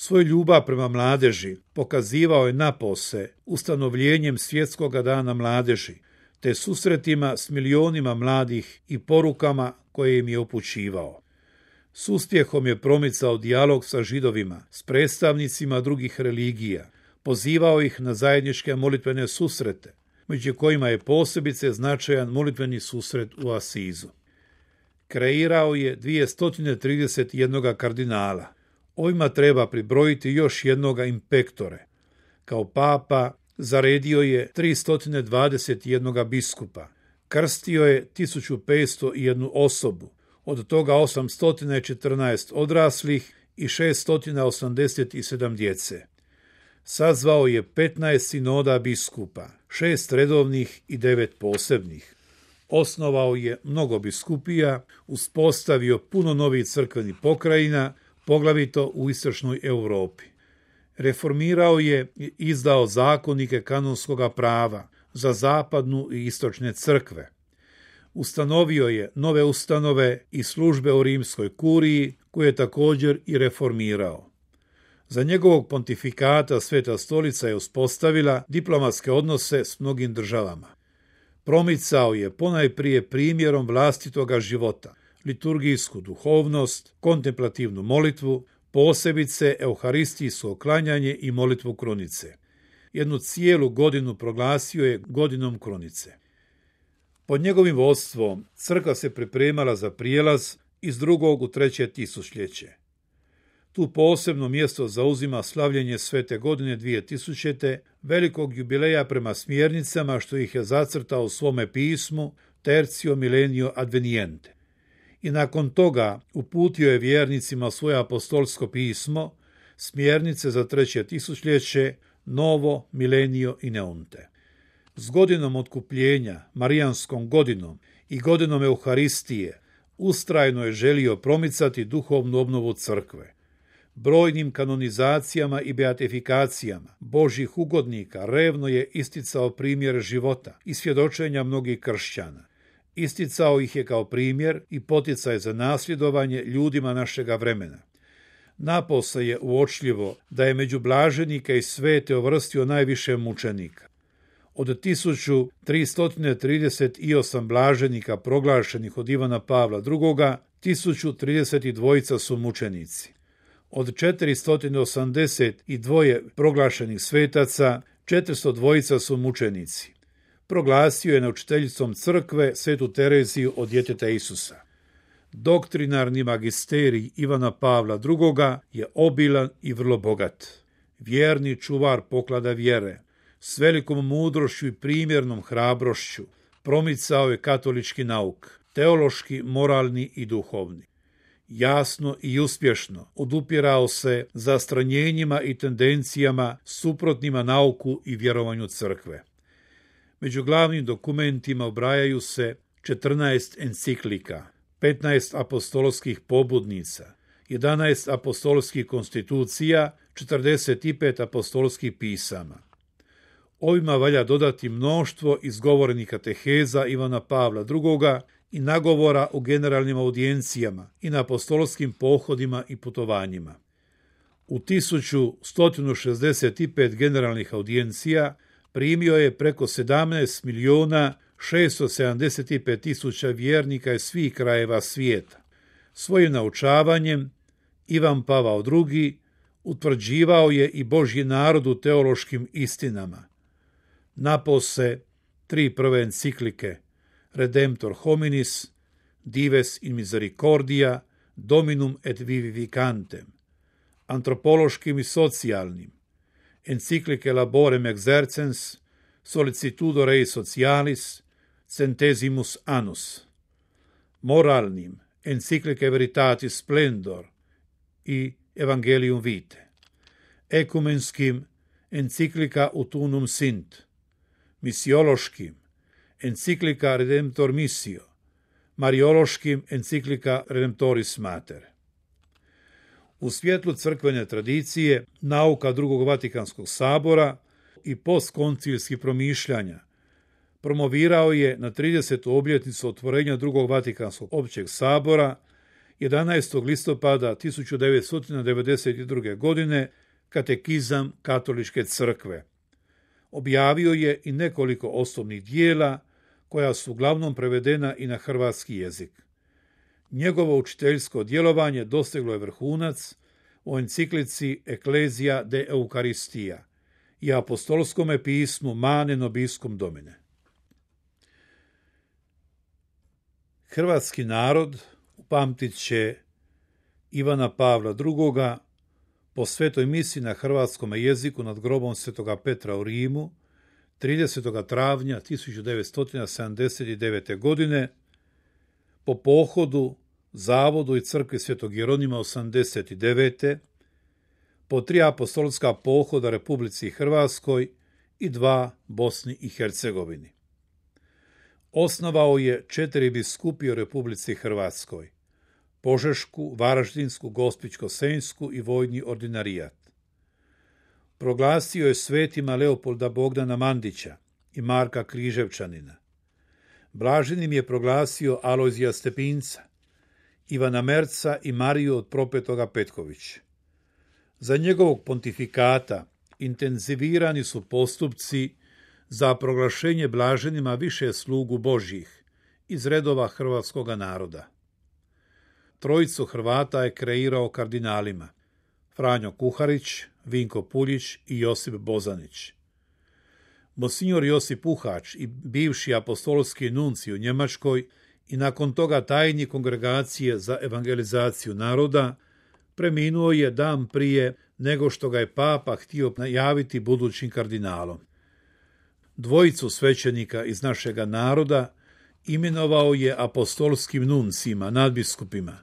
Svoju ljubav prema mladeži pokazivao je napose ustanovljenjem Svjetskog dana mladeži, te susretima s milionima mladih i porukama koje im je upućivao. S uspjehom je promicao dijalog sa Židovima, s predstavnicima drugih religija, pozivao ih na zajedničke molitvene susrete, među kojima je posebice značajan molitveni susret u Asizu. Kreirao je 231 kardinala. Ovima treba pribrojiti još jednoga impektore. Kao papa zaredio je 321 biskupa. Krstio je 1501 osobu, od toga 814 odraslih i 687 djece. Sazvao je 15 sinoda biskupa, 6 redovnih i 9 posebnih. Osnovao je mnogo biskupija, uspostavio puno novih crkvenih pokrajina, poglavito u istočnoj Europi. Reformirao je i izdao zakonike kanonskog prava za zapadnu i istočne crkve. Ustanovio je nove ustanove i službe u rimskoj kuriji, koje je također i reformirao. Za njegovog pontifikata Sveta stolica je uspostavila diplomatske odnose s mnogim državama. Promicao je ponajprije primjerom vlastitoga života, liturgijsku duhovnost, kontemplativnu molitvu, posebice euharistijsko klanjanje i molitvu krunice. Jednu cijelu godinu proglasio je godinom krunice. Pod njegovim vodstvom crkva se pripremala za prijelaz iz 2. u 3. tisućljeće. Tu posebno mjesto zauzima slavljenje Svete godine 2000. velikog jubileja prema smjernicama što ih je zacrtao u svome pismu Tertio Millennio Adveniente. I nakon toga uputio je vjernicima svoje apostolsko pismo, smjernice za 3. tisućljeće, Novo Millennio Ineunte. S godinom otkupljenja, Marijanskom godinom i godinom Euharistije ustrajno je želio promicati duhovnu obnovu crkve. Brojnim kanonizacijama i beatifikacijama Božjih ugodnika revno je isticao primjer života i svjedočenja mnogih kršćana. Isticao ih je kao primjer i poticaj za nasljedovanje ljudima našega vremena. Napose je uočljivo da je među blaženike i svete uvrstio najviše mučenika. Od 1338 blaženika proglašenih od Ivana Pavla II, 1032 su mučenici. Od 482 proglašenih svetaca, 402 su mučenici. Proglasio je naučiteljicom crkve Svetu Tereziju od djeteta Isusa. Doktrinarni magisterij Ivana Pavla II je obilan i vrlo bogat. Vjerni čuvar poklada vjere, s velikom mudrošću i primjernom hrabrošću promicao je katolički nauk, teološki, moralni i duhovni. Jasno i uspješno odupirao se zastranjenjima i tendencijama suprotnima nauku i vjerovanju crkve. Među glavnim dokumentima ubrajaju se 14 enciklika, 15 apostolskih pobudnica, 11 apostolskih konstitucija, 45 apostolskih pisama. Ovima valja dodati mnoštvo izgovorenih kateheza Ivana Pavla II i nagovora u generalnim audijencijama i na apostolskim pohodima i putovanjima. U 1165 generalnih audijencija primio je preko 17.675.000 vjernika iz svih krajeva svijeta. Svojim naučavanjem Ivan Pavao II utvrđivao je i Božji narod u teološkim istinama. Napose 3 prve enciklike Redemptor hominis, Dives in misericordia, Dominum et vivificantem, antropološkim i socijalnim, enciklike Laborem exercens, Solicitudo Rei Socialis, Centesimus Annus, moralnim, enciklike Veritatis Splendor i Evangelium Vitae, ekumenskim, enciklika Ut unum sint, misiološkim, enciklika Redemptor Missio, mariološkim, enciklika Redemptoris Mater. U svjetlu crkvene tradicije, nauka drugog Vatikanskog sabora i postkoncilskih promišljanja promovirao je na 30. obljetnicu otvorenja drugog Vatikanskog općeg sabora 11. listopada 1992. godine Katekizam Katoličke crkve. Objavio je i nekoliko osnovnih dijela koja su uglavnom prevedena i na hrvatski jezik. Njegovo učiteljsko djelovanje dostiglo je vrhunac u enciklici Ecclesia de Eucharistia i apostolskome pismu Mane Nobiscum Domine. Hrvatski narod upamtit će Ivana Pavla II. Po svetoj misi na hrvatskom jeziku nad grobom Svetoga Petra u Rimu 30. travnja 1979. godine, po pohodu, zavodu i crkvi Svetog Jeronima 89. po 3 apostolska pohoda Republici Hrvatskoj i 2 Bosni i Hercegovini. Osnovao je 4 biskupije u Republici Hrvatskoj: Požešku, Varaždinsku, Gospićko-senjsku i vojni ordinarijat. Proglasio je svetima Leopolda Bogdana Mandića i Marka Križevčanina. Blaženim je proglasio Alojzija Stepinca, Ivana Merca i Mariju od Propetoga Petković. Za njegovog pontifikata intenzivirani su postupci za proglašenje blaženima više slugu Božjih iz redova hrvatskoga naroda. Trojicu Hrvata je kreirao kardinalima: Franjo Kuharić, Vinko Puljić i Josip Bozanić. Monsignor Josip Puhač i bivši apostolski nunci u Njemačkoj i nakon toga tajnik Kongregacije za evangelizaciju naroda preminuo je dan prije nego što ga je papa htio najaviti budućim kardinalom. Dvojicu svećenika iz našega naroda imenovao je apostolskim nuncima, nadbiskupima.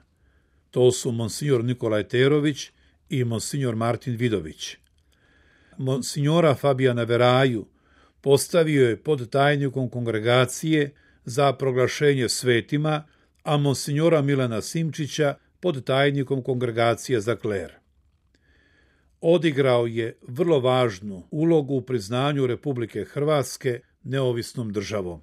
To su monsignor Nikolaj Terović i monsignor Martin Vidović. Monsignora Fabijana Veraju postavio je pod tajnikom Kongregacije za proglašenje svetima, a monsignora Milana Simčića pod tajnikom Kongregacije za kler. Odigrao je vrlo važnu ulogu u priznanju Republike Hrvatske neovisnom državom.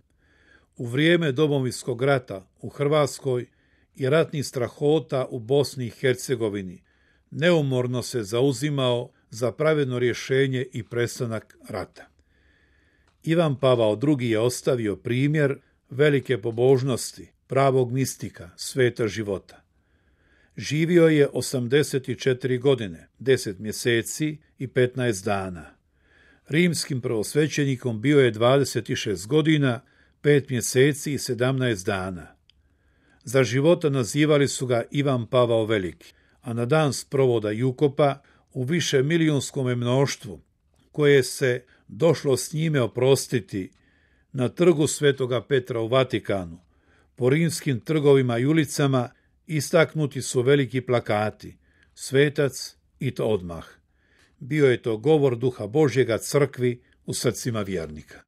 U vrijeme Domovinskog rata u Hrvatskoj i ratnih strahota u Bosni i Hercegovini neumorno se zauzimao za pravedno rješenje i prestanak rata. Ivan Pavao II. Je ostavio primjer velike pobožnosti, pravog mistika, sveta života. Živio je 84 godine, 10 mjeseci i 15 dana. Rimskim prvosvećenikom bio je 26 godina, 5 mjeseci i 17 dana. Za života nazivali su ga Ivan Pavao Veliki, a na dan sprovoda i ukopa u više milijunskom mnoštvu, koje se došlo s njime oprostiti na trgu Svetoga Petra u Vatikanu, po rimskim trgovima i ulicama istaknuti su veliki plakati: Svetac i to odmah. Bio je to govor Duha Božjega crkvi u srcima vjernika.